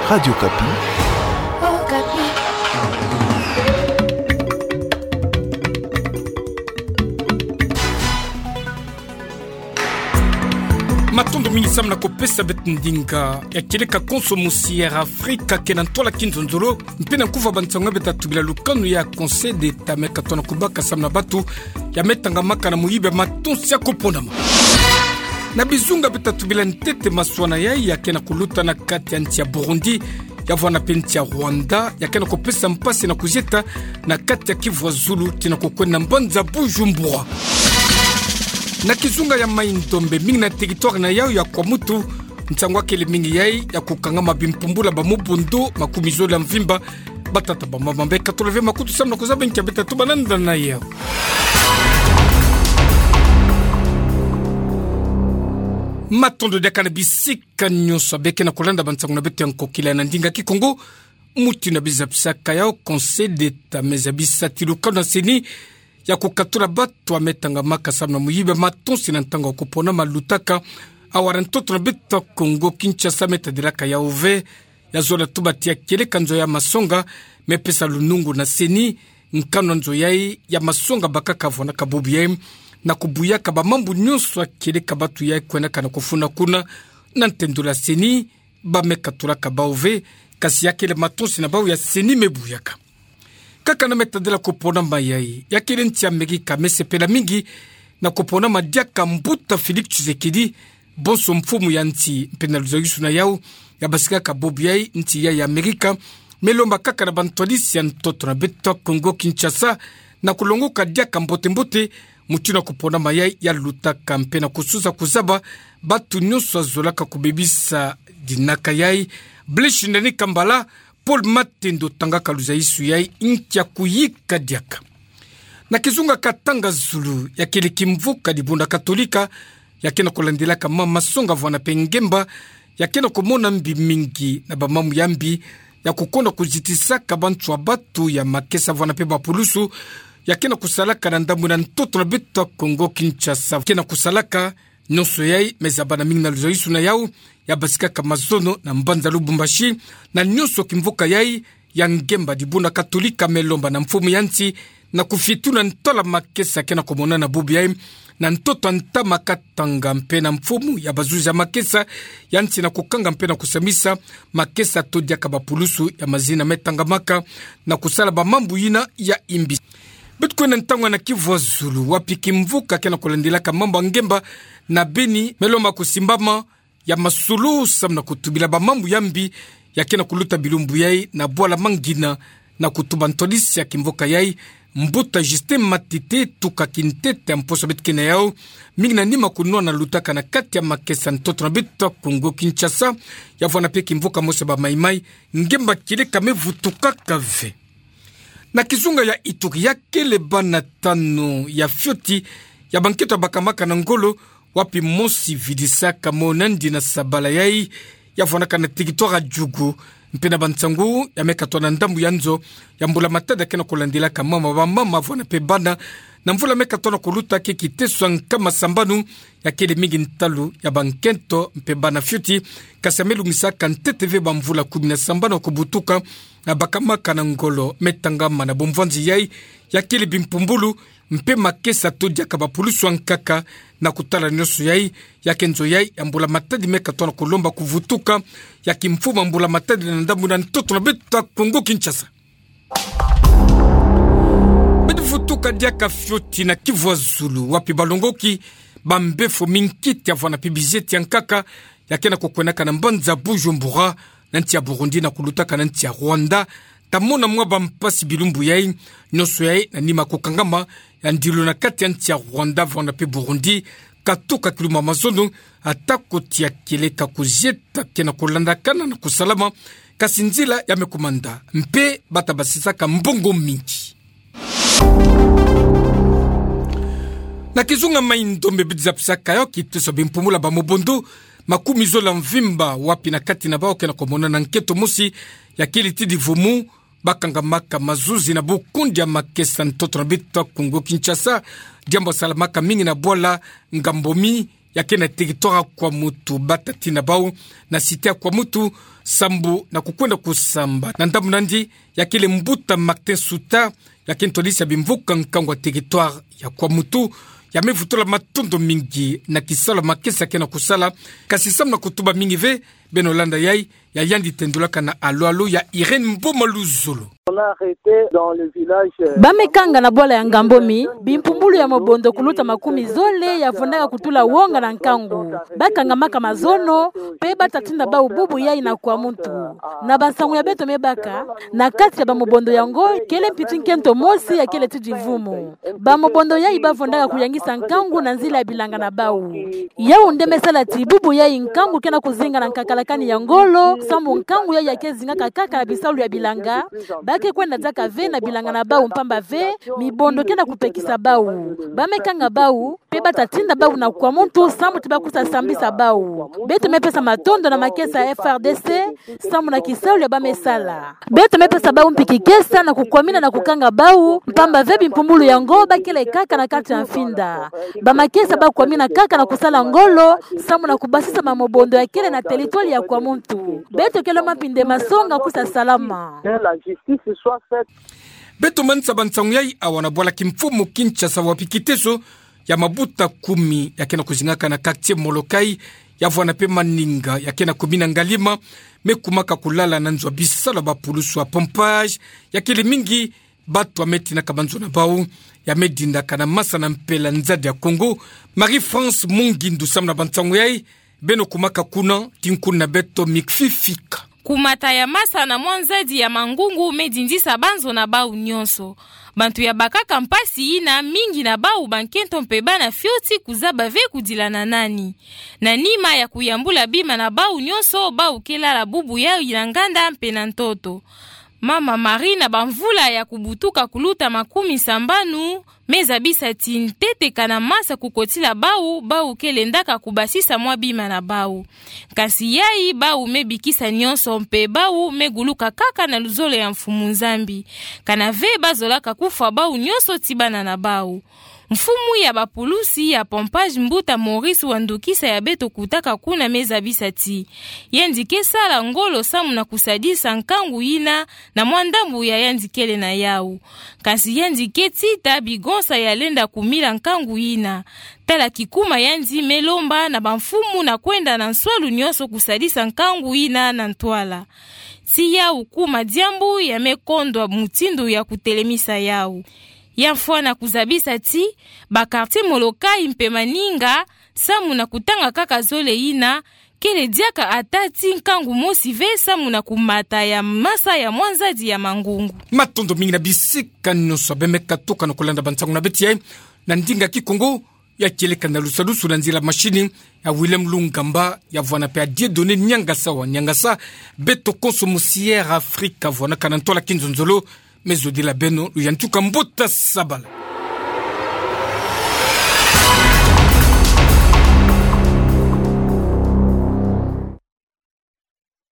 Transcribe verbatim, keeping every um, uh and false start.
Radio Okapi. Matondo mingi samu na kupesa beto ndinga ya kieleka konso mosi ya Air Afrique, ke na ntwala kinzonzolo, mpe na nkufi ya bansangu beto ta tubila lukanu ya Conseil d'État me katona kubaka samu na bato ya me tangamaka na moyibi ya matonsi ya kuponama. Na bizunga beto ta tubila ntete maswana yai ya ke na kuluta na kati ya nsi ya Burundi, ya vwanda mpe nsi ya Rwanda, ya ke na kupesa mpasi na kuzieta na kati ya Kivu ya Zulu, tii na kukwenda na mbanza Bujumbura. Na kizunga ya Mai-Ndombe, mingi na territoire na yau ya Kwamouth, nsangu ya kele mingi yai ya kukangama bimpumbula ba mobondo makumi zole ya mvimba. Batata, bamama, mbe katula ve makutu samu na kuzaba nki ya beto ta tuba nanda na yau. Matondo diaka na bisika nyonso ya be ke na kulanda bansangu na beto ya nkokila na ndinga Kikongo. Mutindu na bizapisaka yau, Conseil d'État me zabisa tii lukanu na CENI ya kukatula bato ya me tangamaka samu na moyibi ya matonsi na ntangu ya kuponama lutaka awa na ntoto na beto Kongo Kinshasa. Me tadilaka yau ve, ya zola tuba tii ya kieleka nzo ya masonga me pesa lunungu na CENI, nkanu ya nzo yai ya masonga bakaka vwanaka bubu yai, na kubuyaka ba mambu nyonso ya kieleka bato yai kwendaka na kufunda kuna. Na ntendolo ya CENI, ba me katulaka bau ve, kasi ya kele matonsi na bau ya CENI me buyaka. Kaka na me tadila kuponama yai, ya kele nsi ya Amerika me sepela mingi na kuponama diaka mbuta Félix Tshisekedi, bonso mfumu ya nsi, mpe na luzayusu na yau, ya basikaka bubu yai nsi yai ya Amerika me lomba kaka na bantwadisi ya ntoto na beto Kongo Kinshasa na kulongoka diaka mbote-mbote mutindu ya kuponama yai ya lutaka, mpe na kususa kuzaba bato nyonso ya zolaka kubebisa dinaka yai. Blaise Ndani Kambala, Paul Matendo tangaka luzayusu yai, nki ya kuyika diaka. Na kizunga Katanga Zulu, ya kele kimvuka dibundu Katolika ya ke na kulandilaka ma masonga vwanda mpe ngemba, ya ke na kumona mbi mingi na ba mambu ya mbi ya kukonda kuzitisaka bantu ya bato ya makesa vwanda mpe bapulusu, ya ke na kusalaka na ndambu na ntoto na beto Kongo Kinshasa. Ke na kusalaka nyonso yai me zabana mingi na luzayusu na yau, ya basikaka mazono na mbanza Lubumbashi, na nyonso kimvuka yai ya ngemba dibundu Katolika me lomba na mfumu ya nsi na kufitu na ntwala makesa ke na kumonana bubu yai na ntoto ya ntama Katanga mpe na mfumu ya bazuzi ya makesa ya nsi na kukanga mpe na kusambisa makesa to diaka bapulusu ya mazina me tangamaka na kusala ba mambu yina ya imbi. Beto kwenda ntangu na Kivu ya Zulu, wapi kimvuka ke na kulandilaka mambu ya ngemba na Beni me lomba kusimbama ya masolo samu na kutubila ba mambu ya mbi ya ke na kuluta bilumbu yai na bwala Mangina, na kutuba ntwadisi ya kimvuka yai, mbuta Justin Matete, tuka kintete ya mposo beto ke na yau, mingi na nima kunwana lutaka na kati ya makesa ntoto na beto Kongo Kinshasa, ya vwanda mpe kimvuka mosi ya ba Mai-Mai, ngemba kieleka me vutukaka ve. Na kizunga ya Ituri, ya kele bana tanu ya fioti ya bankento ya bakamaka na ngolo, wapi mosi vidisaka mo nandi na sabala yai, ya vwandaka na territoire ya Djugu, mpe na bansangu ya me katona ndambu ya nzo ya mbula matadi ya ke na kulandilaka mama, bamama vwanda mpe bana, na mvula me katona kuluta ke kiteso ya nkama sambanu, ya kele mingi ntalu ya bankento mpe bana fioti, kasi ya me lungisaka ntete ve bamvula kumi na sambanu ya kubutuka, na bakamaka na ngolo me tangama na bomvwanzi yai, ya kele bimpumbulu mpe makesa to diaka bapulusu ya nkaka. Na kutala nyonso yai, ya ke nzo yai ya mbula matadi me katona kulomba kuvutuka ya kimfumu ya mbula matadi na ndambu na ntoto na beto Kongo Kinshasa. Beto vutuka diaka fioti na Kivu ya Zulu, wapi balongoki ba mbefo minkiti ya vwanda mpe bizeti ya nkaka ya ke na kukwendaka na mbanza Bujumbura, na nsi ya Burundi na kulutaka na nsi ya Rwanda, ta mona mwa bampasi bilumbu yai, nyonso yai na nima kukangama ya ndilu na kati ya nsi ya Rwanda vwanda mpe Burundi, katuka kiluma mazono, atako tii ya kieleka kuzieta ke na kulandakana na kusalama, kasi nzila ya me kumanda, mpe bata basisaka mbongo mingi. Na kizunga Mai-Ndombe, beto zapisaka yau kiteso ya bimpumula ba mobondo makumi zole ya mvimba, wapi na kati na bau ke na kumonana nkento mosi ya kele ti divumu, bakangamaka mazuzi na bukundi ya makesa ntoto na beto Kongo Kinshasa, diambu salamaka mingi na bwala Ngambomi, ya ke na territoire ya Kwamouth, batatina bau na cité ya Kwamouth, sambu na kukwenda kusamba. Na ndambu nandi, ya kele mbuta Martin Suta, ya ke ntwadisi ya bimvuka nkangu ya territoire ya Kwamouth, ya me vutula matondo mingi na kisalu ya makesa ya ke na kusala, kasi samu na kutuba mingi ve, beno landa yai, ya yandi tendulaka na alo-alo ya Irène Mboma Luzolo. On a arrêté dans le village, euh, Ba me kanga na bwala ya Ngambomi bimpumbulu ya mobondo kuluta makumi zole ya vondaka kutula wonga na nkangu. Ba kangamaka mazono, mpe batatina bau bubu yai na Kwamouth. Na bansangu ya beto me baka, na kati ya bamobondo yango, kele mpiti nkento mosi ya kele tidi vumu. Bamobondo yai ba vondaka kuyangisa nkangu na nzila ya bilanga na bau. Yau nde me sala ti bubu yai nkangu ke na kuzinga na nkakalakani ya ngolo, samu nkangu yai ya ke zingaka kaka na bisalu ya bilanga, ba ke kwenda diaka ve na bilanga na bau mpamba ve, mibondo ke na kupekisa bau. Ba me kanga bau, mpe batatina bau na Kwamouth, samu ti ba kusa sambisa bau. Beto me pesa matondo na makesa ya F R D C, samu na kisalu ya ba me sala. Beto me pesa bau mpi kikesa na kukwamina na kukanga bau, mpamba ve bimpumbulu yango ba kele kaka na kati ya mfinda. Bamakesa ba kwamina kaka na kusala ngolo, samu na kubasisa mamobondo ya kele na territoire ya Kwamouth. Beto kele mampinde masonga kusa salama. Que la justice soit faite. Beto manisa bansangu yai awa na bwala kimfumu Kinshasa, wapi kiteso ya mabuta kumi ya ke na kuzingaka na quartier Molokai, ya vwana mpe maninga ya ke na commune ya Ngalima, me kumaka kulala na nzo ya bisalu ya bapulusu ya pompage, ya kele mingi bato ya me tinaka banzo na bau, ya me dindaka na masa na mpela nzadi ya Kongo. Marie-France Mungindu samu na bansangu yai, beno kumaka kuna, tinkundu na beto mikfifika. Kumata ya masa na mwa nzadi ya mangungu me dindisa banzo na bau nyonso. Bantu ya bakaka mpasi yina, mingi na bau bankento mpe bana fioti, kuzaba ve kudila na nani. Na nima ya kuyambula bima na bau nyonso, bau ke lala bubu yai na nganda mpe na ntoto. Mama Marie, na bamvula ya kubutuka kuluta makumi sambanu, me zabisa ti ntete kana masa kukotila bau, bau ke lendaka kubasisa mwa bima na bau. Kasi yai, bau me bikisa nyonso mpe bau me guluka kaka na luzolo ya Mfumu Nzambi. Kana ve ba zolaka kufwa bau nyonso ti bana na bau. Mfumu ya bapulusi ya pompage, mbuta Maurice Wandukisa, ya beto kutaka kuna, me zabisa ti yandi ke sala ngolo samu na kusadisa nkangu yina na mwa ndambu ya yandi kele na yau. Kasi yandi ke tita bigonsa ya lenda kumila nkangu yina. Tala kikuma yandi me lomba na bamfumu na kwenda na nswalu nyonso kusadisa nkangu yina na ntwala. Ti yau kuma diambu ya me kondwa mutindu ya kutelemisa yau. Ya mfwana kuzabisa ti ba quartier Molokai mpe maninga, samu na kutanga kaka zole yina, kele diaka ata ti nkangu mosi ve samu na kumata ya masa ya mwa nzadi ya mangungu. Matondo mingi na bisika nyonso be me katuka na kulanda bansangu na beto yai na ndinga Kikongo, ya kieleka na lusadusu na nzila machine ya Willem Lungamba, ya vwana mpe ya Dieudonné Niangasa wa Niangasa. Beto konso mu C R Africa, vwanaka na ntwala kinzonzolo, me zodila beno luyantika mbuta sabala.